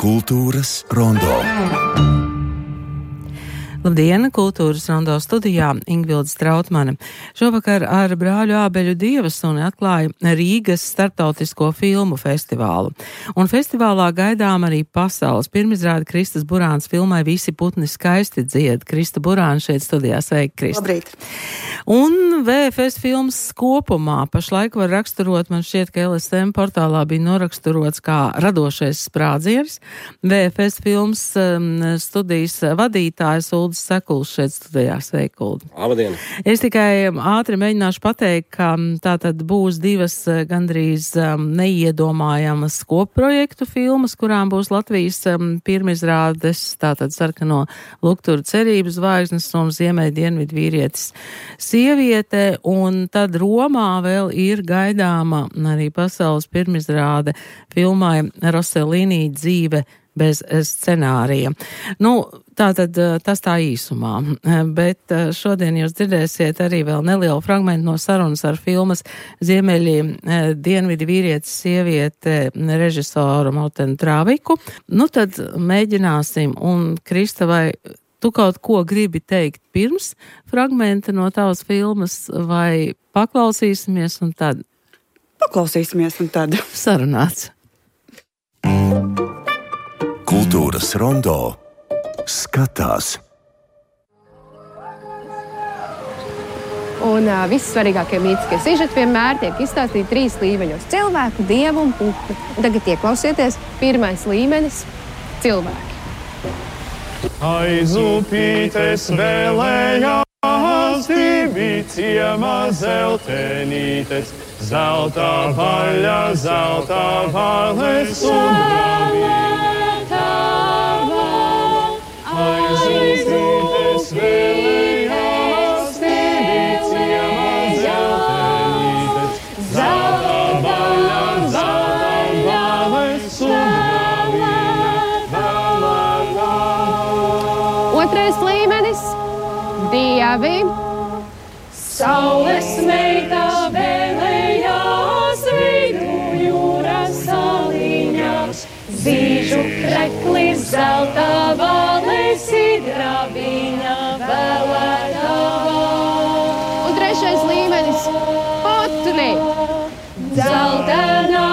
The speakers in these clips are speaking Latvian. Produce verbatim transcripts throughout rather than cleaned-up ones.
Kultūras rondo. Labdien, Kultūras rondo studijā Ingvilde Strautmane. Šovakar ar brāļu Ābeļu Dievasuni atklāja Rīgas starptautisko filmu festivālu. Un festivālā gaidām arī pasaules pirmizrāde Kristas Burāns filmai Visi putni skaisti dzied. Krista Burāna šeit studijā. Sveiki, Krista. Labrīt. Un V F S filmas kopumā pašlaik var raksturot, man šķiet, ka L S M portālā bija noraksturots kā radošais sprādziens. V F S filmas um, studijas vadītājs Ulda Sekuls šeit studijā. Sveiki, Ulda. Labdien. Es tikai ātri mēģināšu pateikt, ka tā tad būs divas gandrīz um, neiedomājamas kopprojektu filmas, kurām būs Latvijas um, pirmizrādes, tātad Sarkano lukturu cerības zvaigznes un Ziemeļ dienvidu vīrietis sieviete, un tad Romā vēl ir gaidāma arī pasaules pirmizrāde filmai Rossellini dzīve bez scenārija. Nu, tātad tas tā īsumā, bet šodien jūs dzirdēsiet arī vēl nelielu fragmentu no sarunas ar filmas Ziemeļi dienvidi vīrietis sieviete režisoru Mortenu Traviku. Nu, tad mēģināsim, un Krista, vai tu kaut ko gribi teikt pirms fragmenta no tavas filmas, vai paklausīsimies un tad? Paklausīsimies un tad. Sarunāts. Kultūras rondo skatās. Un uh, vissvarīgākie mītiskie sižeti vienmēr tiek izstāstīti trīs līmeņos - cilvēku, dievu un putnu. Un tagad ieklausieties, pirmais līmenis - cilvēki. Aiz upītes vēlējās divi ciemā zeltenītes, zelta vaļa, zelta vaļas un zelta vaļa. Aiz upītes vēlējās divi ciemā zeltenītes, zelta vaļa, zelta vaļas un Otrais līmenis - dievi. Saules meitā vēlējās vidu jūras saliņās, zīžu kreklis, zelta valis, hidrabiņa vēlētavā. Un trešais līmenis - putni. Dzeltenā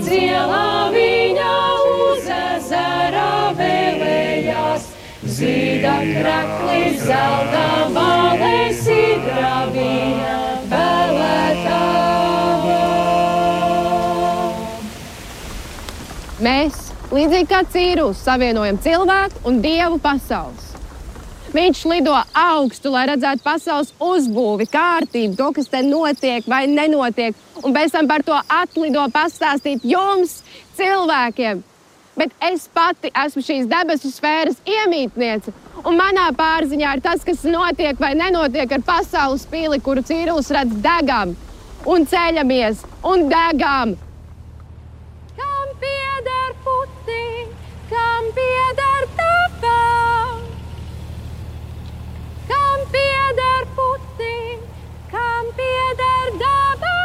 dzielā viņa uz ezera vēlējās, zīda kreklis, zelta valis, hidrabiņa vēlētavā. Mēs, līdzīgi kā Cīrulis, savienojam cilvēku un dievu pasaules. Viņš lido augstu, lai redzētu pasaules uzbūvi, kārtību, to, kas te notiek vai nenotiek, un pēc tam par to atlido pastāstīt jums, cilvēkiem. Bet es pati esmu šīs debesu sfēras iemītniece, un manā pārziņā ir tas, kas notiek vai nenotiek ar pasaules pili, kuru Cīrulis redz degam, un ceļamies, un degam. Kam pieder putni, kam pieder daba? Kam pieder putni, kam pieder daba?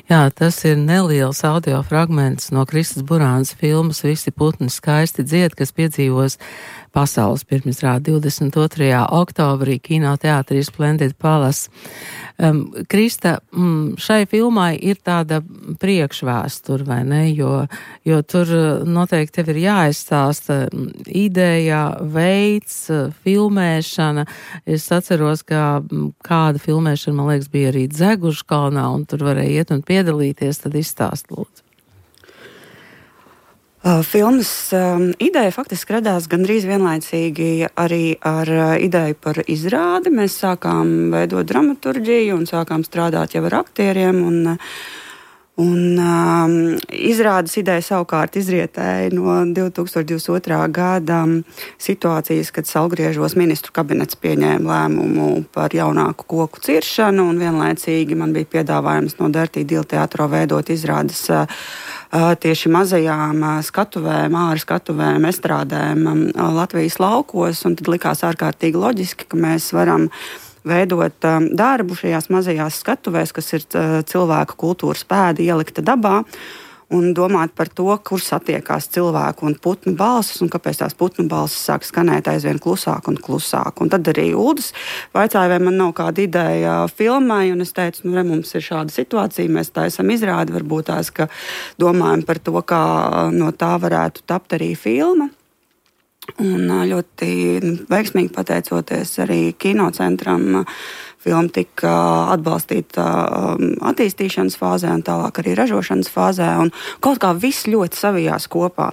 Jā, tas ir neliels audio fragments no Kristas Burānas filmas Visi putni skaisti dzied, kas piedzīvos pasaules pirmizrādi divdesmit otrajā oktobrī kinoteātrī Splendid Palace. Um, Krista, mm, šai filmai ir tāda priekšvēsture, vai ne? Jo, jo tur noteikti tev ir jāizstāsta ideja, veids, filmēšana. Es atceros, ka kāda filmēšana, man liekas, bija arī Dzegužkalnā, un tur varēja iet un piedalīties, tad izstāst, lūdzu. Uh, filmas um, ideja faktiski radās gandrīz vienlaicīgi arī ar uh, ideju par izrādi. Mēs sākām veidot dramaturģiju un sākām strādāt jau ar aktieriem. Un, uh, Un um, izrādes ideja savukārt izrietēja no divi tūkstoši divdesmit otrā gada situācijas, kad Saulgriežos ministru kabinets pieņēma lēmumu par jaunāku koku ciršanu, un vienlaicīgi man bija piedāvājums no Dirty Deal teātro veidot izrādes uh, tieši mazajām uh, skatuvēm, āra skatuvēm, estrādēm um, Latvijas laukos, un tad likās ārkārtīgi loģiski, ka mēs varam veidot um, darbu šajās mazajās skatuvēs, kas ir uh, cilvēku kultūras pēdi ielikta dabā, un domāt par to, kur satiekās cilvēku un putnu balsis, un kāpēc tās putnu balsis sāk skanēt aizvien klusāk un klusāk. Un tad arī Uldis vaicāja, vai man nav kāda ideja filmai, un es teicu, nu, re, mums ir šāda situācija, mēs taisam izrādi, varbūt tās, ka domājam par to, kā no tā varētu tapt arī filma. Un ļoti veiksmīgi pateicoties arī kinocentram, filma tika atbalstīta attīstīšanas fāzē un tālāk arī ražošanas fāzē. Un kaut kā viss ļoti savijās kopā.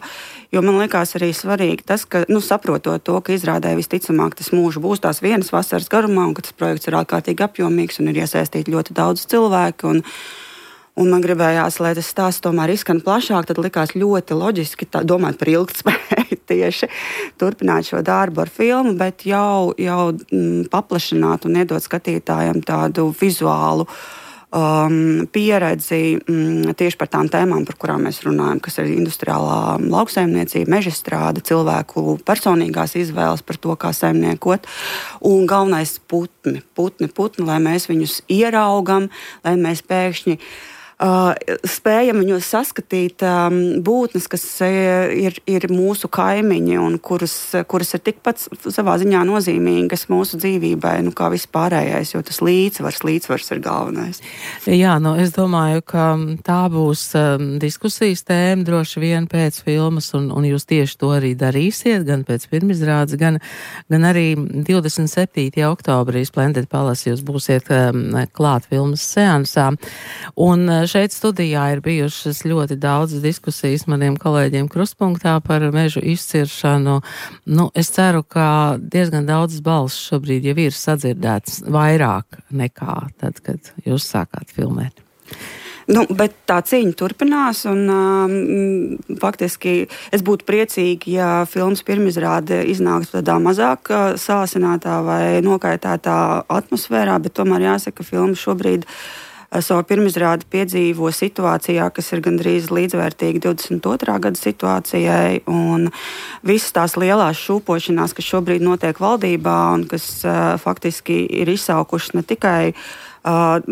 Jo man liekas arī svarīgi tas, ka, nu, saprotot to, ka izrādē visticamāk tas mūžs būs tās vienas vasaras garumā un ka tas projekts ir ārkārtīgi apjomīgs un ir iesaistīti ļoti daudz cilvēku. Un, Un man gribējās, lai tas stāsts tomēr izskan plašāk, tad likās ļoti loģiski tā, domāt par ilgtspēju tieši turpināt šo darbu ar filmu, bet jau, jau mm, paplašināt un iedot skatītājiem tādu vizuālu um, pieredzi mm, tieši par tām tēmām, par kurām mēs runājam, kas ir industriālā lauksaimniecība, mežastrāde, cilvēku personīgās izvēles par to, kā saimniekot, un galvenais putni, putni, putni, lai mēs viņus ieraugam, lai mēs pēkšņi Uh, spējam viņos saskatīt um, būtnes, kas uh, ir, ir mūsu kaimiņi un kuras, kuras ir tikpat savā ziņā nozīmīgas mūsu dzīvībai, nu, kā viss pārējais, jo tas līdzsvars, līdzsvars ir galvenais. Jā, nu, es domāju, ka tā būs um, diskusijas tēma droši vien pēc filmas, un, un jūs tieši to arī darīsiet, gan pēc pirmizrādes, gan, gan arī divdesmit septītajā oktobrī Splendid Palace jūs būsiet um, klāt filmas seansā. Un šeit studijā ir bijušas ļoti daudz diskusijas maniem kolēģiem Krustpunktā par mežu izciršanu. Nu, es ceru, ka diezgan daudz balss šobrīd jau ir sadzirdēts vairāk nekā tad, kad jūs sākāt filmēt. Nu, bet tā cīņa turpinās, un um, faktiski es būtu priecīgi, ja filmas pirmizrāde iznāktu tādā mazāk sāsinātā vai nokaitētā atmosfērā, bet tomēr jāsaka, ka filma šobrīd savu pirmizrādi piedzīvo situācijā, kas ir gandrīz līdzvērtīga divdesmit otrā gada situācijai, un visas tās lielās šūpošanās, kas šobrīd notiek valdībā un kas uh, faktiski ir izsaukušas ne tikai uh,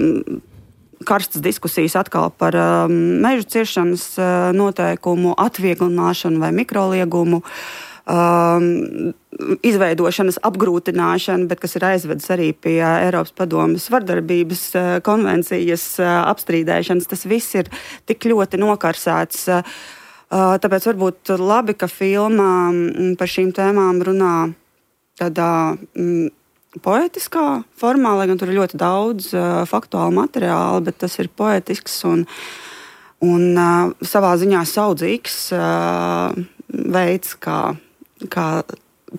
karstas diskusijas atkal par um, mežu ciršanas uh, noteikumu atvieglināšanu vai mikroliegumu, Um, izveidošanas apgrūtināšana, bet kas ir aizvedis arī pie Eiropas padomes vardarbības uh, konvencijas uh, apstrīdēšanas. Tas viss ir tik ļoti nokarsēts. Uh, tāpēc varbūt labi, ka filma um, par šīm tēmām runā tādā um, poetiskā formā, lai gan tur ir ļoti daudz uh, faktuālu materiālu, bet tas ir poetisks un, un uh, savā ziņā saudzīgs uh, veids, kā kā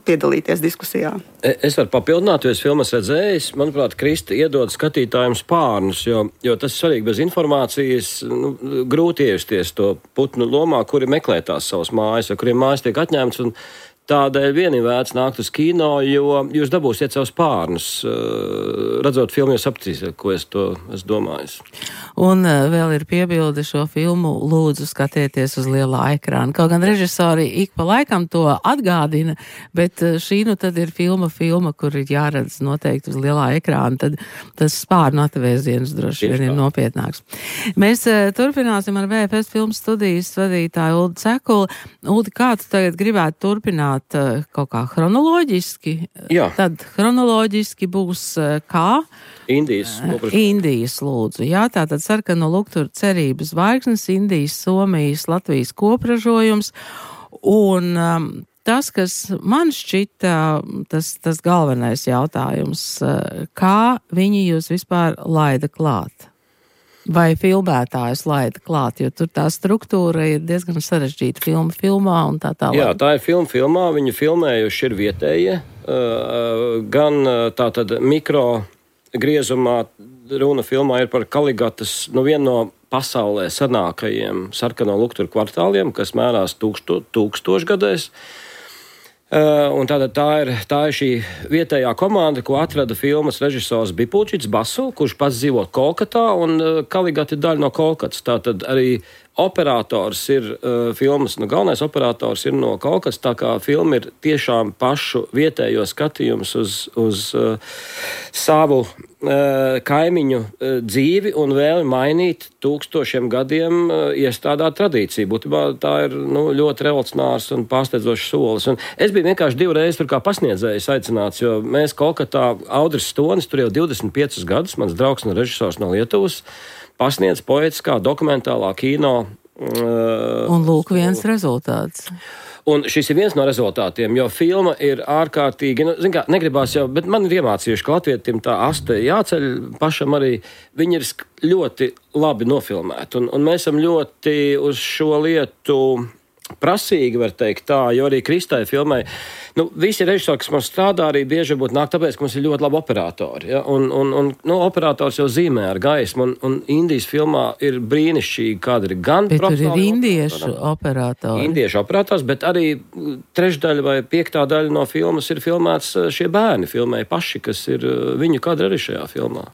piedalīties diskusijā. Es varu papildināt, jo es filmas redzējis. Manuprāt, Krista iedod skatītājiem spārnus, jo, jo tas ir svarīgi bez informācijas. Nu, grūti ievesties to putnu lomā, kuri meklē tās savas mājas, vai kuriem mājas tiek atņemts. Un tādēļ vien ir vērts nākt uz kino, jo jūs dabūsiet savus spārnus. Redzot filmu, jūs sapratīsiet, ko es to esmu domājis. Un vēl ir piebilde, šo filmu lūdzu skatieties uz lielā ekrāna. Kaut gan režisori ik pa laikam to atgādina, bet šī nu tad ir filma, filma, kur ir jāredz noteikti uz lielā ekrāna, tad tas spārnu atvēziens droši vien ir nopietnāks. Mēs turpināsim ar V F S filmu studijas vadītāju Uldi Cekuli. Uldi, kā tu tagad gribētu turpināt kaut kā chronoloģiski? Jā. Tad chronoloģiski būs kā? Indijas. Indijas lūdzu. Jā, tātad Sarkano lukturu cerības zvaigznes, Indijas, Somijas, Latvijas kopražojums. Un um, tas, kas man šķita tas, tas galvenais jautājums, kā viņi jūs vispār laida klāt? Vai filmētājus laida klāt, jo tur tā struktūra ir diezgan sarežģīta filma filmā un tā tālāk. Jā, tā ir filma filmā, viņu filmējuši ir vietējie, gan tātad mikro griezumā runa filmā ir par Kaligatas, nu vienu no pasaulē senākajiem sarkano lukturu kvartāliem, kas mērās tūksto, tūkstošgadēs. Uh, un tātad tā ir, tā ir šī vietējā komanda, ko atrada filmas režisors Bipulčits Basu, kurš pats dzīvo Kolkatā, un uh, Kaligat ir daļa no Kolkatas. Tātad arī operators ir uh, filmas, nu galvenais operators ir no Kolkatas, tā kā filma ir tiešām pašu vietējo skatījums uz, uz uh, savu uh, kaimiņu uh, dzīvi un vēli mainīt tūkstošiem gadiem uh, iestrādāt tradīciju. Būtībā tā ir nu, ļoti revolucionārs un pārsteidzošs solis. Un es biju vienkārši divreiz tur kā pasniedzējs aicināts, jo mēs Kolkatā, Audris Stonis, tur jau divdesmit piecus gadus, mans draugs un režisors no Lietuvas, pasniedz poetiskā, dokumentālā kino. Uh, un lūk viens rezultāts. Un šis ir viens no rezultātiem, jo filma ir ārkārtīgi, nu, zin kā, negribās jau, bet man ir iemācījuši, ka latvietim tā aste jāceļ pašam arī, viņi ir ļoti labi nofilmēti. Un, un mēs esam ļoti uz šo lietu prasīgi, var teikt tā, jo arī Kristai filmai, nu, visi režisori, kas mums strādā, arī bieži varbūt nāk tāpēc, ka mums ir ļoti labi operatori, ja? un, un, un nu, operators jau zīmē ar gaismu, un, un Indijas filmā ir brīnišķīgi kadri, gan bet tur ir indiešu operatori, operatori. Indiešu operators, bet arī trešdaļa vai piektā daļa no filmas ir filmēts šie bērni, filmēja paši, kas ir viņu kadri arī šajā filmā.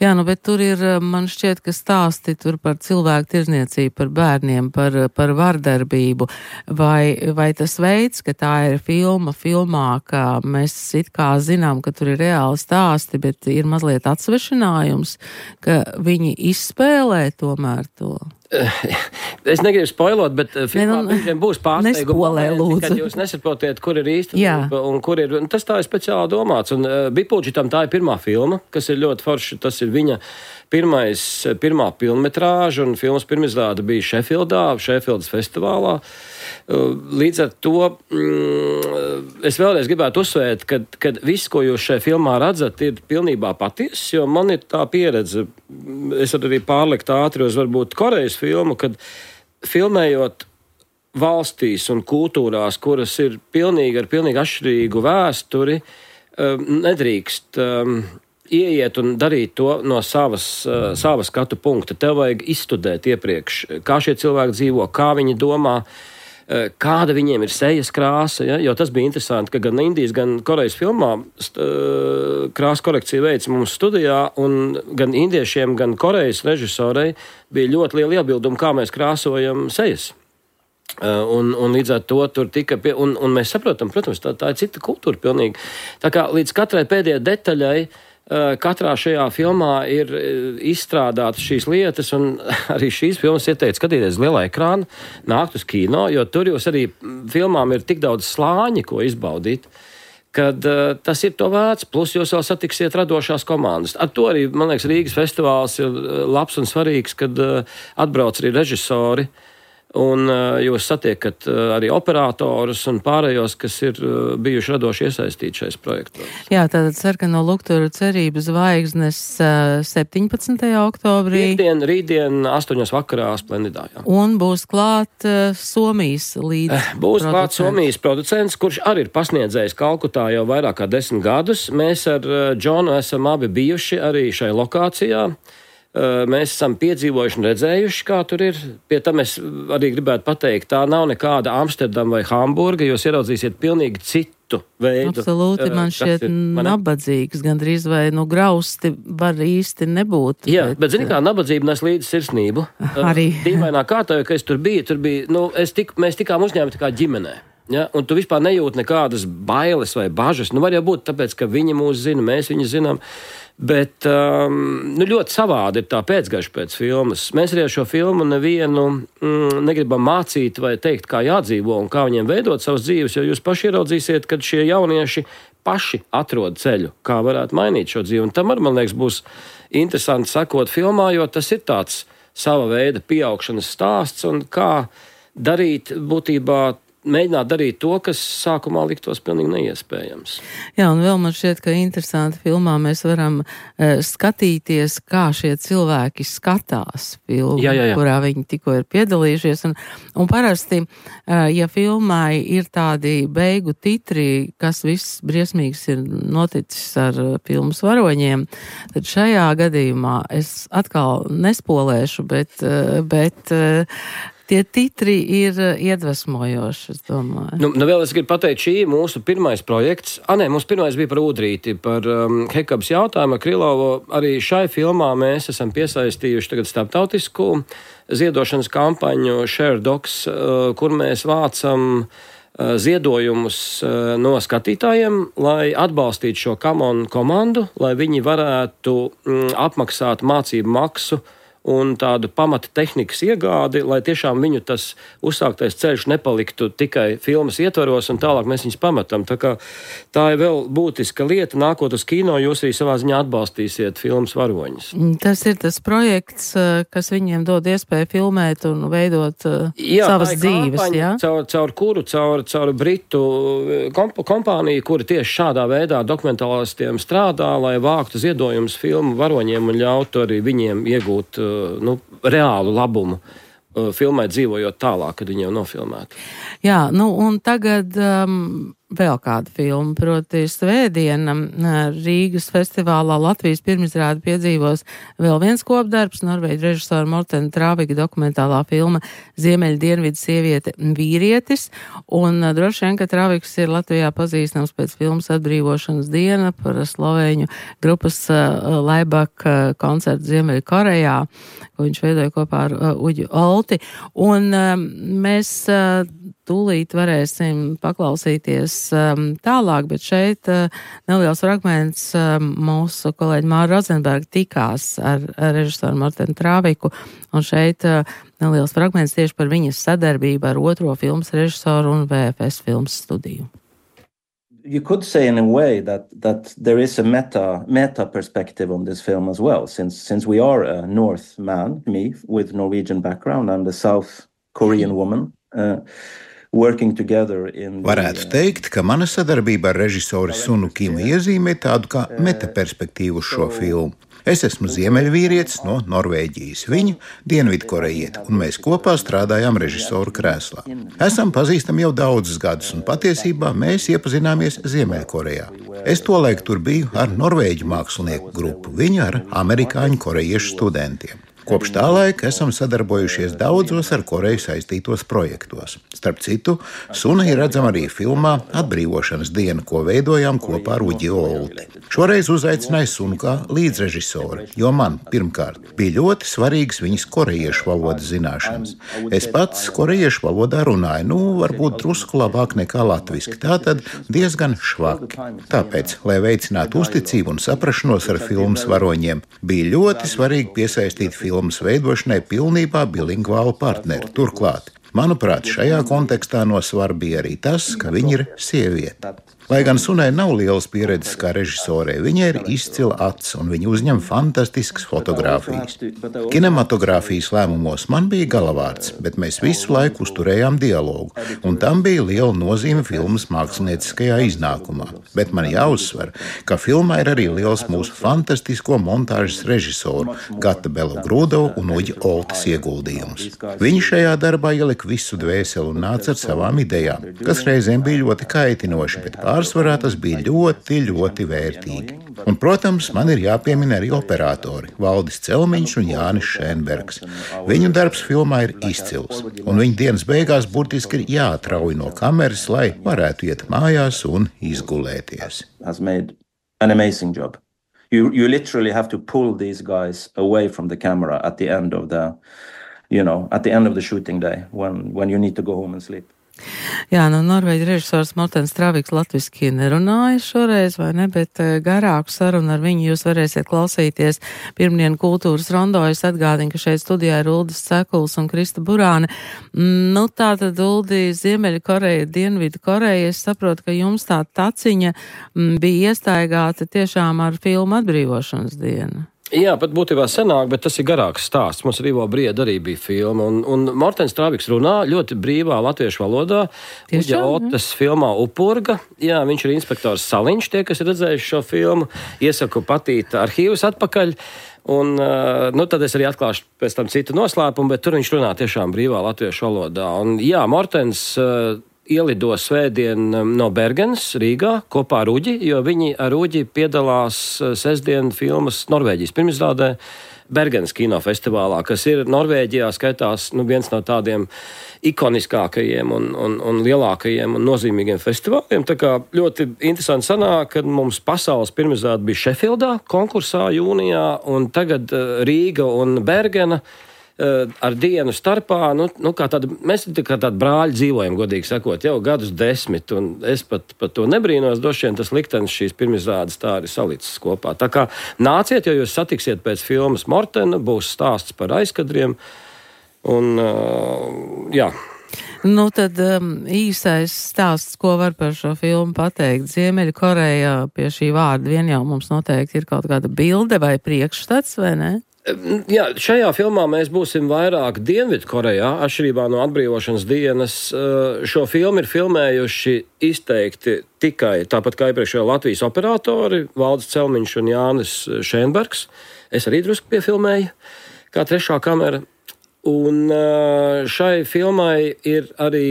Jā, nu, bet tur ir, man šķiet, ka stāsti tur par cilvēku tirdzniecību, par bērniem, par, par vardarbību. Vai, vai tas veids, ka tā ir filma filmā, ka mēs it kā zinām, ka tur ir reāli stāsti, bet ir mazliet atsvešinājums, ka viņi izspēlē tomēr to? Es negribu spoilot, bet filmā ne, nu, būs pārsteigumi, kad jūs nesaprotiet, kur ir īstenība un kur ir, un tas tā ir speciāli domāts. Un uh, Bipulčitam tā ir pirmā filma, kas ir ļoti forši, tas ir viņa pirmais, pirmā pilnmetrāža, un filmas pirmizrāde bija Šefildā, Šefildas festivālā. Uh, līdz ar to mm, es vēlreiz gribētu uzsvērt, ka, ka viss, ko jūs šajā filmā redzat, ir pilnībā patiess, jo man ir tā pieredze, es varu arī pārlikt ātri uz varbūt Korejas filmu, kad filmējot valstīs un kultūrās, kuras ir pilnīgi ar pilnīgi atšķirīgu vēsturi, nedrīkst um, ieiet un darīt to no savas, uh, savas skatu punkta. Tev vajag izstudēt iepriekš, kā šie cilvēki dzīvo, kā viņi domā, uh, kāda viņiem ir sejas krāsa, ja? Jo tas bija interesanti, ka gan Indijas, gan Korejas filmā uh, krāsa korekcija veids mums studijā, un gan indiešiem, gan Korejas režisorei bija ļoti liela iebilduma, kā mēs krāsojam sejas. Uh, un, un līdz ar to tur tika, pie, un, un mēs saprotam, protams, tā, tā ir cita kultūra pilnīgi. Tā kā līdz katrai pēdējai detaļai, uh, katrā šajā filmā ir izstrādātas šīs lietas, un arī šīs filmas ieteikt skatīties lielā ekrāna, nākt uz kino, jo tur jūs arī filmām ir tik daudz slāņi, ko izbaudīt, kad uh, tas ir to vērts, plus jūs vēl satiksiet radošās komandas. Ar to arī, man liekas, Rīgas festivāls ir labs un svarīgs, kad uh, atbrauc arī režisori, un uh, jūs satiekat uh, arī operatorus un pārējos, kas ir uh, bijuši radoši iesaistīti šais projektos. Jā, tātad sarkano lukturu cerības zvaigznes uh, septiņpadsmitajā oktobrī. Rītdien, rītdien astoņos vakarā Splendidā. Jā. Un būs klāt uh, Somijas līdz eh, Būs klāt Somijas producents, kurš arī ir pasniedzējis Kalkutā jau vairāk kā desmit gadus. Mēs ar uh, Džonu esam abi bijuši arī šai lokācijā. Mēs esam piedzīvojuši un redzējuši, kā tur ir. Pie tam es arī gribētu pateikt, tā nav nekāda Amsterdama vai Hamburga, jūs ieraudzīsiet pilnīgi citu veidu. Absolūti, man šķiet ir, nabadzīgs, gandrīz vai nu grausti var īsti nebūt. Jā, bet, bet zini kā, nabadzība nes līdzi sirsnību. Arī. Dīvainā kārtā, jo, ka es tur biju, tur bija, nu, es tik, mēs tikām uzņēmti kā ģimenē. Ja? Un tu vispār nejūti nekādas bailes vai bažas. Nu, var jau būt tāpēc, ka viņi mūs zina, mēs viņu zinām. Bet um, nu, ļoti savādi ir tā pēcgaša pēc filmas. Mēs arī ar šo filmu nevienu mm, negribam mācīt vai teikt, kā jādzīvo un kā viņiem veidot savas dzīves, jo jūs paši ieraudzīsiet, kad šie jaunieši paši atrod ceļu, kā varētu mainīt šo dzīvi. Un tam arī, man liekas, būs interesanti sekot filmā, jo tas ir tāds sava veida pieaugšanas stāsts un kā darīt būtībā mēģināt darīt to, kas sākumā liktos pilnīgi neiespējams. Jā, un vēl man šķiet, ka interesanti filmā mēs varam uh, skatīties, kā šie cilvēki skatās filmu, jā, jā, jā. kurā viņi tikko ir piedalījušies. Un, un parasti, uh, ja filmai ir tādi beigu titri, kas viss briesmīgs ir noticis ar uh, filmas varoņiem, tad šajā gadījumā es atkal nespolēšu, bet, uh, bet uh, tie titri ir iedvesmojoši, es domāju. Nu, nu vēl es gribu pateikt, šī ir mūsu pirmais projekts. A, nē, mums pirmais bija par Udrīti, par um, Hekabas jautājumu ar Krilovu. Arī šai filmā mēs esam piesaistījuši tagad starptautisku ziedošanas kampaņu Share Docs, uh, kur mēs vācam uh, ziedojumus uh, no skatītājiem, lai atbalstītu šo Kamon komandu, lai viņi varētu mm, apmaksāt mācību maksu un tādu pamata tehnikas iegādi, lai tiešām viņu tas uzsāktais ceļš nepaliktu tikai filmas ietvaros, un tālāk mēs viņus pametam. Tā kā tā ir vēl būtiska lieta. Nākot uz kino, jūs arī savā ziņā atbalstīsiet filmas varoņus. Tas ir tas projekts, kas viņiem dod iespēju filmēt un veidot jā, savas dzīves, kampaņa, jā? Caur, caur kuru, caur, caur Britu komp kompāniju, kura tieši šādā veidā dokumentālistiem strādā, lai vāktu ziedojumus filmu varoņiem un ļautu arī viņiem iegūt nu, reālu labumu filmai dzīvojot tālāk, kad viņi jau nofilmētu. Jā, nu un tagad um, vēl kāda filma, proti Svētdiena Rīgas festivālā Latvijas pirmizrāde piedzīvos vēl viens kopdarbs, norvēģu režisora Mortena Travika dokumentālā filma Ziemeļa dienvidu sieviete vīrietis, un droši vien, ka Traviks ir Latvijā pazīstams pēc filmas Atbrīvošanas diena par slovēņu grupas uh, Laibak uh, koncertu Ziemeļa Korejā, ko viņš veidoja kopā ar uh, Uģu Olti, un um, mēs uh, tūlīt varēsim paklausīties um, tālāk, bet šeit uh, neliels fragments um, mūsu kolēģi Māra Rozenberga tikās ar, ar režisoru Mortenu Traviku, un šeit uh, neliels fragments tieši par viņas sadarbību ar otro filmas režisoru un V F S filmas studiju. You could say in a way that that there is a meta meta perspective on this film as well, since since we are a North man, me with Norwegian background, and a South Korean woman. Uh, Varētu teikt, ka mana sadarbība ar režisoru Sunu Kimu iezīmē tādu kā metaperspektīvu uz šo filmu. Es esmu ziemeļvīrietis no Norvēģijas, viņu dienvidkorejieti, un mēs kopā strādājām režisoru krēslā. Esam pazīstami jau daudzus gadus, un patiesībā mēs iepazināmies Ziemeļkorejā. Es tolaik tur biju ar norvēģu mākslinieku grupu, viņa ar amerikāņu korejiešu studentiem. Kopš tā laika esam sadarbojušies daudzos ar Koreju saistītos projektos. Starp citu, Suna ir redzama arī filmā Atbrīvošanas diena, ko veidojām kopā ar Uģi Olti. Šoreiz uzaicināju Sunu kā līdzrežisoru, jo man, pirmkārt, bija ļoti svarīgas viņas korejiešu valodas zināšanas. Es pats korejiešu valodā runāju, nu, varbūt drusku labāk nekā latviski, tātad diezgan švaki. Tāpēc, lai veicinātu uzticību un saprašanos ar filmas varoņiem, bija ļoti svarīgi piesaistīt filmu filmas veidošanai pilnībā bilingvālu partneri. Turklāt, manuprāt, šajā kontekstā no svara bija arī tas, ka viņa ir sieviete. Lai gan Sunai nav lielas pieredzes kā režisorei, viņai ir izcila acs un viņa uzņem fantastiskas fotogrāfijas. Kinematogrāfijas lēmumos man bija galavārds, bet mēs visu laiku uzturējām dialogu, un tam bija liela nozīme filmas mākslinieckajā iznākumā. Bet man jāuzsver, ka filmā ir arī liels mūsu fantastisko montāžas režisoru Gata Belogrūdovu un Uģi Oltas ieguldījums. Viņi šajā darbā ielika visu dvēseli un nāca ar savām idejām, kas reizēm bija ļoti kaitinoši, bet pārsvarā tas bija ļoti, ļoti vērtīgi. Un, protams, man ir jāpiemina arī operatori Valdis Celmiņš un Jānis Šēnbergs. Viņu darbs filmā ir izcils, un viņa dienas beigās burtiski ir jāatrauj no kameras, lai varētu iet mājās un izgulēties. An amazing job. You, you literally have to pull these guys away from the camera at the end of the, you know, at the end of the shooting day, when, when you need to go home and sleep. Jā, nu norvēģu režisors Mortens Traviks latviski nerunāja šoreiz, vai ne, bet garāku sarunu ar viņu jūs varēsiet klausīties pirmdien kultūras rondo. Es atgādinu, ka šeit studijā ir Uldis Cekuls un Krista Burāne. Nu, tā tad Uldi, Ziemeļa Koreja, Dienvidu Koreja, es saprotu, ka jums tā taciņa bija iestaigāta tiešām ar filmu Atbrīvošanas dienu. Jā, pat būtībā senāk, bet tas ir garāks stāsts. Mums ar Ivo Briedu arī bija filma. Un, un Mortens Trābiks runā ļoti brīvā latviešu valodā. Uģa Otas filmā Upurga. Jā, viņš ir inspektors Saliņš, tie, kas ir redzējuši šo filmu. Iesaku patīt arhīvus atpakaļ. Un, nu, tad es arī atklāšu pēc tam citu noslēpumu, bet tur viņš runā tiešām brīvā latviešu valodā. Un, jā, Mortens uh, ielido svētdien no Bergenas Rīgā kopā ar Uģi, jo viņi ar Uģi piedalās sestdien filmas Norvēģijas pirmizrādē Bergenas kinofestivālā, kas ir Norvēģijā skaitās nu, viens no tādiem ikoniskākajiem un, un, un lielākajiem un nozīmīgiem festivāliem. Tā kā ļoti interesanti sanāk, kad mums pasaules pirmizrāde bija Šefildā konkursā jūnijā, un tagad Rīga un Bergena ar dienu starpā, nu, nu kā tāda, mēs kā tādi brāļi dzīvojam, godīgi sakot, jau gadus desmit, un es pat, pat to nebrīnos, droši vien tas liktenis šīs pirmizrādes tā arī salicis kopā. Tā kā nāciet, jo jūs satiksiet pēc filmas Mortena, būs stāsts par aizkadriem, un uh, jā. Nu, tad um, īsais stāsts, ko var par šo filmu pateikt. Ziemeļkorejā pie šī vārda vien jau mums noteikti ir kaut kāda bilde vai priekšstats, vai ne? Jā, šajā filmā mēs būsim vairāk Dienvidkorejā, atšķirībā no atbrīvošanas dienas. Šo filmu ir filmējuši izteikti tikai, tāpat kā iepriekšējā Latvijas operatori, Valdis Celmiņš un Jānis Šēnbergs. Es arī drusku piefilmēju, kā trešā kamera. Un šai filmai ir arī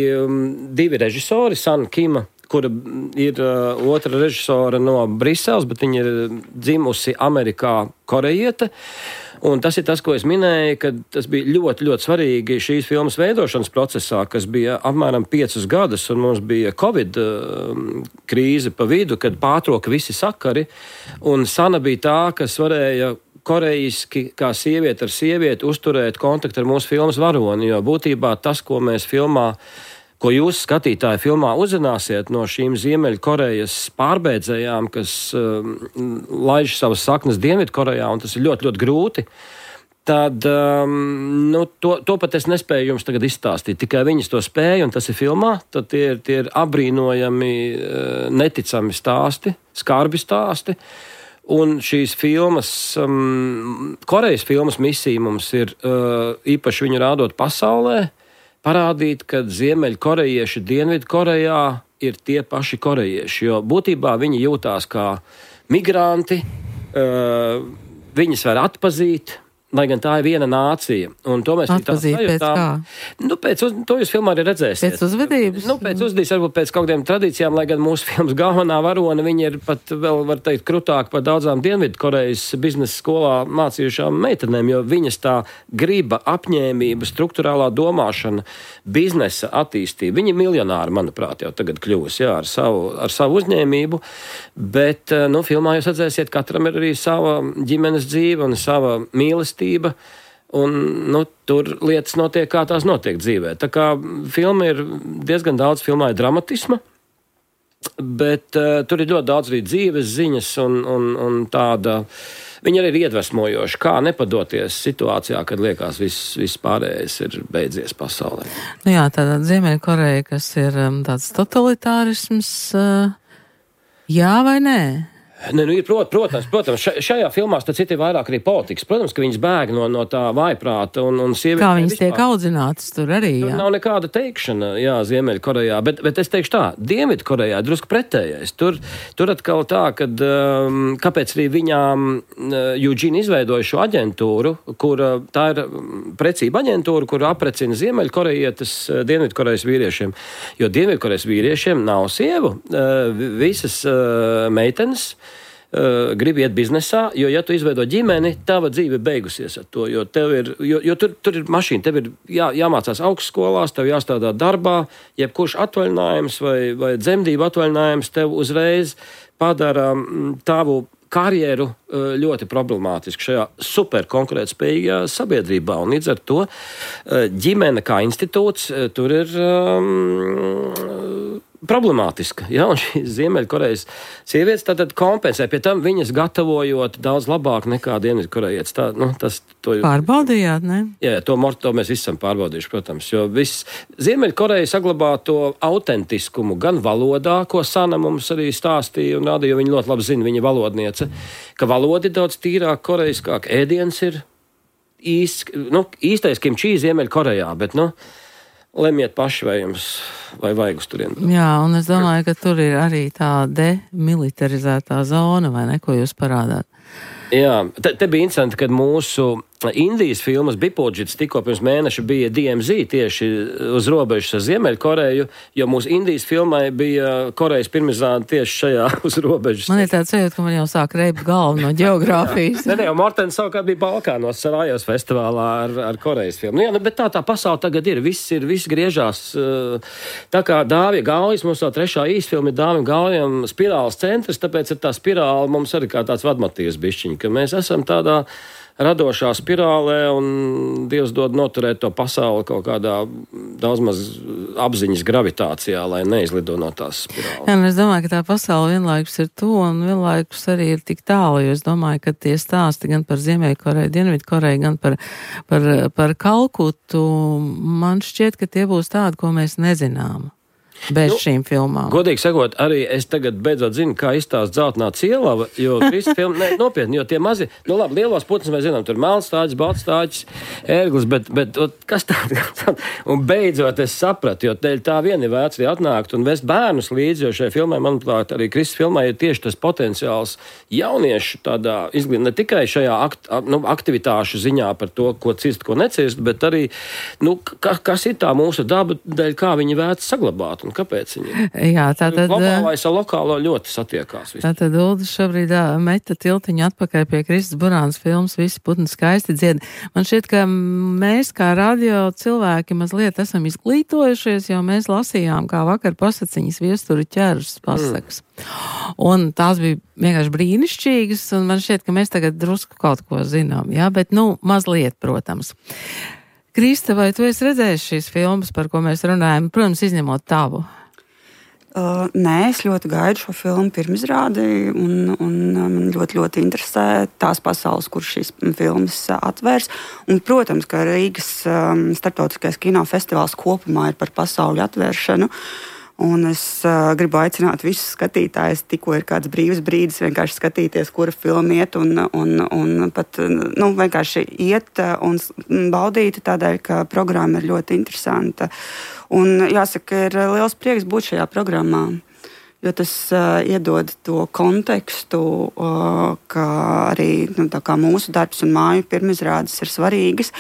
divi režisori, San Kima, kura ir otra režisora no Briseles, bet viņa ir dzimusi Amerikā korejiete. Un tas ir tas, ko es minēju, ka tas bija ļoti, ļoti svarīgi šīs filmas veidošanas procesā, kas bija apmēram piecus gadus, un mums bija Covid uh, krīze pa vidu, kad pārtrauka visi sakari, un Sana bija tā, kas varēja korejiski, kā sieviete ar sievieti, uzturēt kontaktu ar mūsu filmas varoni, jo būtībā tas, ko mēs filmā, ko jūs skatītāji filmā uzzināsiet no šīm Ziemeļkorejas pārbēdzējām, kas um, laiž savas saknes Dienvidkorejā, un tas ir ļoti, ļoti grūti, tad um, nu, to, to pat es nespēju jums tagad izstāstīt. Tikai viņas to spēja, un tas ir filmā, tad tie ir, tie ir apbrīnojami, neticami stāsti, skarbi stāsti. Un šīs filmas, um, Korejas filmas misija mums ir uh, īpaši viņu rādot pasaulē, parādīt, ka Ziemeļkorejieši Dienvidkorejā ir tie paši korejieši, jo būtībā viņi jūtās kā migranti, uh, viņas var atpazīt, lai gan tā ir viena nācija. Un to mēs atpazīt pēc kā? Nu, pēc uz, to jūs filmā arī redzēsiet. Pēc uzvedības? Nu, pēc uzvedības, varbūt pēc kaut kādiem tradīcijām, lai gan mūsu filmas galvenā varone, viņa ir pat vēl, var teikt, krutāk par daudzām Dienvidkorejas biznesa skolā mācījušām meitenēm, jo viņas tā griba, apņēmība, struktūrālā domāšana, biznesa attīstība. Viņi ir miljonāri, manuprāt, jau tagad kļūs, jā, ar savu, ar savu uzņēmību, bet, nu, filmā jūs redzēsiet, katram ir arī sava ģimenes dzīve un sava mīlestība. Un, nu, tur lietas notiek, kā tās notiek dzīvē. Tā kā filma ir diezgan daudz filmā dramatisma, bet uh, tur ir ļoti daudz arī dzīves ziņas un, un, un tāda, viņa arī ir iedvesmojoša, kā nepadoties situācijā, kad liekas viss, viss pārējais ir beidzies pasaulē. Nu jā, tāda Ziemeļkoreja, kas ir um, tāds totalitārisms, uh, jā vai nē? Ne, nu, ir, prot, protams, protams, šajā filmā tas ir vairāk arī politikas. Protams, ka viņas bēg no, no tā vājprāta un, un sievietes. Kā viņas tiek audzinātas tur arī, jā. Tur nav nekāda teikšana, jā, Ziemeļkorejā, bet, bet es teikšu tā, Dienvidkorejā drusku pretējais. Tur, tur atkal tā, kad, um, kāpēc arī viņām Eugene izveidoja šo aģentūru, kur tā ir precība aģentūra, kur aprecina Ziemeļkorejietes Dienvidkorejas vīriešiem. Jo Dienvidkorejas vīriešiem nav sievu. Uh, visas uh, meitenes Uh, gribi iet biznesā, jo, ja tu izveido ģimeni, tava dzīve beigusies ar to, jo, tev ir, jo, jo tur, tur ir mašīna, tev ir jā, jāmācās augstskolās, tev jāstrādā darbā, jebkurš atvaļinājums vai, vai dzemdību atvaļinājums tev uzreiz padara tavu karjeru uh, ļoti problemātisku šajā super konkurētspējīgā sabiedrībā, un līdz ar to uh, ģimene kā institūts uh, tur ir um, problemātiska. Ja? Un šīs Ziemeļkorejas sievietes tātad kompensē. Pie tam viņas gatavojot daudz labāk nekā Dienvidkorejietis. Tā, nu, tas, to, Pārbaudījāt, ne? Jā, to, to mēs visi esam pārbaudījuši, protams. Jo viss Ziemeļkoreja saglabā to autentiskumu gan valodā, ko Sana mums arī stāstīja un rāda, jo viņa ļoti labi zina, viņa valodniece, ka valoda ir daudz tīrāk, korejiskāk, ēdiens ir īst, nu, īstais kimči Ziemeļkorejā, bet, nu, lemiet paši, vai jums, vai vajag uz turien. Jā, un es domāju, ka tur ir arī tā demilitarizētā zona, vai ne, ko jūs parādāt? Jā, te, te bija interesanti, kad mūsu Indijas filmas Bipodžits tikko pirms mēneša bija D M Z tieši uz robežas ar Ziemeļkoreju, jo mūsu Indijas filmai bija Korejas pirmizrāde tieši šajā uz robežas. Man ir tāds sajūta, ka man jau sāk reibt galvu no ģeogrāfijas. Nē, ne, jau Mortens savukārt bija Balkānos Sarajevas festivālā ar, ar Korejas filmu. Nu, jā, bet tā tā pasaule tagad ir, viss ir, viss griežās. Tā kā Dāvija Gaujas, mums tā trešā īsfilma ir Dāvija Gaujam spirāles centrs, tāpēc ir tā spirāle mums arī kā tāds vadmotīvs bišķiņ, ka mēs esam tādā radošā spirālē un Dievs dod noturēt to pasauli kaut kādā daudz maz apziņas gravitācijā, lai neizlido no tās spirāles. Jā, un es domāju, ka tā pasaule vienlaikus ir to un vienlaikus arī ir tik tālu, jo es domāju, ka tie stāsti gan par Ziemeļkoreju, Dienvidkoreju, gan par, par, par Kalkutu, man šķiet, ka tie būs tādi, ko mēs nezinām. Bez nu, šīm filmām. Godīgi sakot, arī es tagad beidzot zinu, kā izstāst Dzeltenā cielava, jo Krista filma, ne, nopietni, jo tie mazi, nu labi, lielos putnus mēs zinām, tur melnstāģis, baltstāģis, ērglis, bet, bet kas tāda? Un beidzot es sapratu, jo tā vien ir vērts arī atnākt un vest bērnus līdzi, jo šajā filmai, manuprāt, arī Krista filmai ir tieši tas potenciāls jauniešu tādā izglīt, ne tikai šajā akt, nu, aktivitāšu ziņā par to, ko cirst, ko necirst, bet arī, nu, ka, kas ir tā mūsu daba dēļ, kā viņi vērts saglabāt. Kāpēc viņi? Jā, tātad globālais ar lokālo ļoti satiekās. Visu. Tātad Uldis šobrīd meta tiltiņu atpakaļ pie Kristas Burānas filmas Visi putni skaisti dzied. Man šķiet, ka mēs kā radio cilvēki mazliet esam izglītojušies, jo mēs lasījām kā vakar pasaciņas viesturi ķērus pasakas. Mm. Un tās bija vienkārši brīnišķīgas, un man šķiet, ka mēs tagad drusku kaut ko zinām, jā, bet nu mazliet, protams. Krista, vai tu esi redzējis šīs filmas, par ko mēs runājam, protams, izņemot tavu? Uh, nē, es ļoti gaidu šo filmu pirmizrādi un, un man ļoti, ļoti interesē tās pasaules, kur šīs filmas atvērs. Un, protams, ka Rīgas um, starptautiskais kinofestivāls kopumā ir par pasauļu atvēršanu. Un es uh, gribu aicināt visus skatītājus, tikko ir kāds brīvs brīdis, vienkārši skatīties, kura filma iet un, un, un pat nu, vienkārši iet un baudīt tādēļ, ka programma ir ļoti interesanta. Un jāsaka, ir liels prieks būt šajā programmā, jo tas uh, iedod to kontekstu, uh, ka arī nu, tā kā mūsu darbs un māju pirmizrādes ir svarīgas.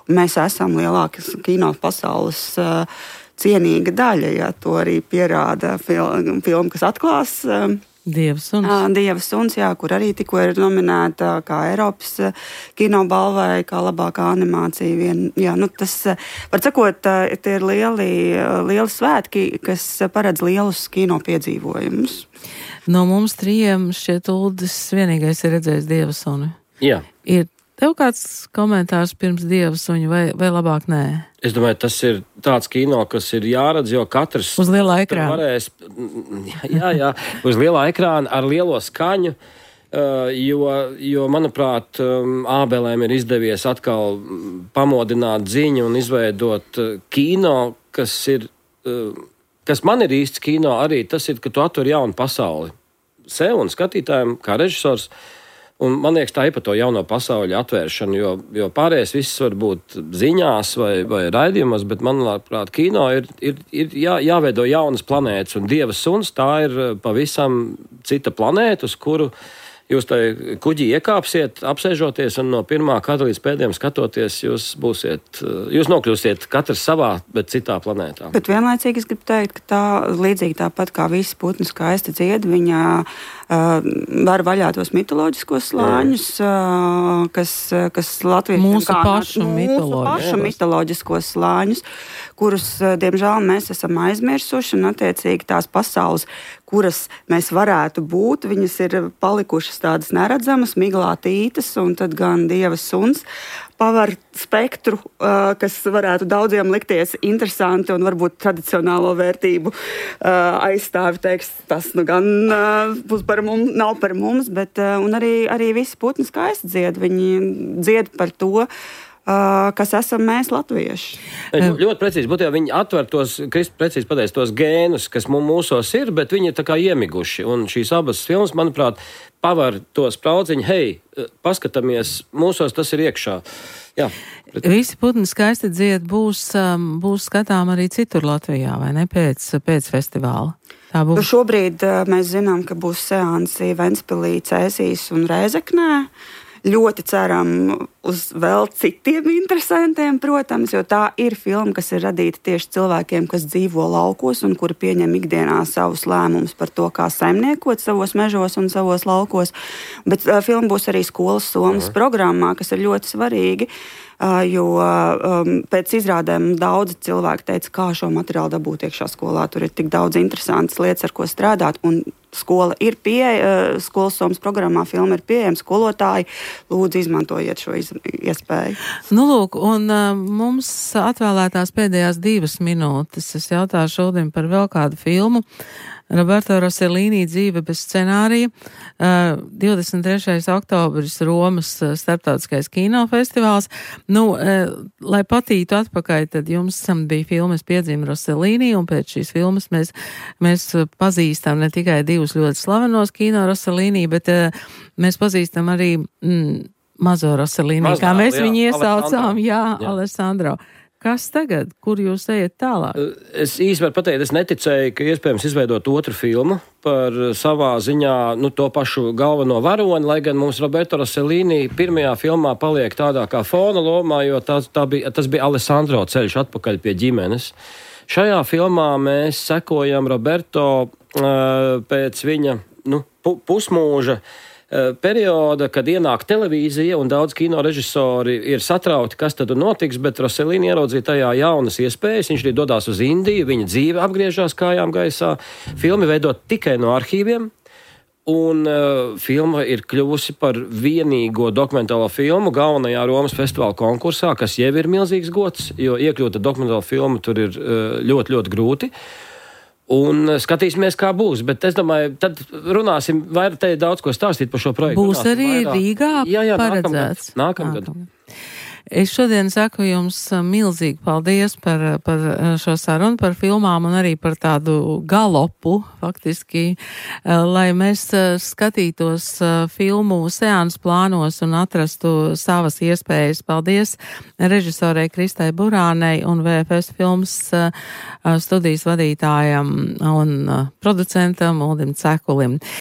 Un mēs esam lielākas kino pasaules uh, cienīga daļa, ja to arī pierāda filma, film, kas atklās Dieva suns. Dieva suns, jā, kur arī tikko ir nominēta kā Eiropas kinobalvai, kā labākā animācija. Vien, jā, nu tas, var sakot, tie ir lieli, lieli svētki, kas paredz lielus kino piedzīvojumus. No mums trījiem šķiet Uldis vienīgais ir redzējis Dieva suni. Jā. Ir tev kāds komentārs pirms Dieva suņa vai, vai labāk nē? Es domāju, tas ir tāds kino, kas ir jāredz, jo katrs uz lielā ekrāna. Varēs, jā, jā, uz lielā ekrāna ar lielo skaņu, jo, jo manuprāt, Ābelēm ir izdevies atkal pamodināt ziņu un izveidot kino, kas ir, kas man ir īsts kino arī, tas ir, ka tu atver jaunu pasauli sev un skatītājiem kā režisors. Un man liekas, tā ir par to jauno pasauļu atvēršanu, jo, jo pārējais viss var būt ziņās vai, vai raidījumos, bet, manuprāt, kino ir, ir, ir jā, jāveido jaunas planētas, un Dieva suns tā ir pavisam cita planēta, uz kuru jūs tai kuģī iekāpsiet, apsēžoties, un no pirmā kadra līdz pēdējiem skatoties, jūs būsiet, jūs nokļūsiet katrs savā, bet citā planētā. Bet vienlaicīgi es gribu teikt, ka tā līdzīgi tāpat kā visi putni skaisti dzied, viņa uh, var vaļā tos mitoloģiskos slāņus, uh, kas, kas Latvijas mūsu pašu, mūsu pašu mitoloģiskos slāņus, kurus, diemžēl, mēs esam aizmirsuši, un attiecīgi tās pasaules, kuras mēs varētu būt. Viņas ir palikušas tādas neredzamas, miglātītas, un tad gan Dieva suns pavar spektru, uh, kas varētu daudziem likties interesanti un varbūt tradicionālo vērtību uh, aizstāvi teiks, tas nu gan uh, būs par mums, nav par mums, bet uh, un arī, arī visi putni skaisti dzied. Viņi dzied par to, Uh, kas esam mēs, latvieši. Ļ, ļoti precīzi, būtībā viņi atver tos, Kristi precīzi pateic, tos gēnus, kas mums mūsos ir, bet viņi ir tā kā iemiguši. Un šīs abas filmas, manuprāt, pavar to spraudziņu, hei, paskatāmies, mūsos tas ir iekšā. Jā. Bet... Visi putni skaisti dzied būs, um, būs skatām arī citur Latvijā, vai ne, pēc, pēc festivāla? Tā būs. Šobrīd uh, mēs zinām, ka būs seansi Ventspilī, Cēsīs un Rēzeknē. Ļoti ceram uz vēl citiem interesantiem, protams, jo tā ir filma, kas ir radīta tieši cilvēkiem, kas dzīvo laukos un kuri pieņem ikdienā savus lēmumus par to, kā saimniekot savos mežos un savos laukos. Bet uh, filma būs arī skolas somas uh-huh. programmā, kas ir ļoti svarīgi, uh, jo um, pēc izrādēm daudzi cilvēki teica, kā šo materiālu dabūt iekšā skolā. Tur ir tik daudz interesantas lietas, ar ko strādāt, un skola ir pieejama, skolas somas programmā filma ir pieejama, skolotāji, lūdzu izmantojiet šo iz, iespēju. Nu, lūk, un uh, mums atvēlētās pēdējās divas minūtes. Es jautāju šodien par vēl kādu filmu. Roberto Rossellini dzīve bez scenārija. Uh, divdesmit trešais oktobris Romas starptautiskais kinofestivāls. Nu, uh, lai patītu atpakaļ, tad jums bija filmas Piedzima Rossellini, un pēc šīs filmas mēs, mēs pazīstam ne tikai divus ļoti slavenos kino Rossellini, bet uh, mēs pazīstam arī mm, mazo Rossellini, Mazā, kā mēs jā, viņu iesaucām. Jā, jā, Alessandro. Kas tagad? Kur jūs ejat tālāk? Es īsti varu pateikt, es neticēju, ka iespējams izveidot otru filmu par savā ziņā nu, to pašu galveno varoni, lai gan mums Roberto Rossellini pirmajā filmā paliek tādā kā fona lomā, jo tā, tā bija, tas bija Alessandro ceļš atpakaļ pie ģimenes. Šajā filmā mēs sekojam Roberto uh, pēc viņa nu, pu, pusmūža perioda, kad ienāk televīzija un daudz kino režisori ir satrauti, kas tad notiks, bet Rossellini ieraudzīja tajā jaunas iespējas, viņš arī dodās uz Indiju, viņa dzīve apgriežās kājām gaisā, filmi veidot tikai no arhīviem, un uh, filma ir kļuvusi par vienīgo dokumentālo filmu galvenajā Romas festivāla konkursā, kas jau ir milzīgs gods, jo iekļūt dokumentālo filmu tur ir uh, ļoti, ļoti grūti. Un skatīsimies, kā būs, bet es domāju, tad runāsim, vairāk te ir daudz ko stāstīt par šo projektu. Būs runāsim arī vairāk. Rīgā jā, jā, paredzēts. Nākamgad. Nākamgad. Es šodien saku jums milzīgi paldies par, par šo sarunu, par filmām un arī par tādu galopu, faktiski, lai mēs skatītos filmu seans plānos un atrastu savas iespējas. Paldies režisorei Kristai Burānei un V F S filmas studijas vadītājam un producentam Uldim Cekulim.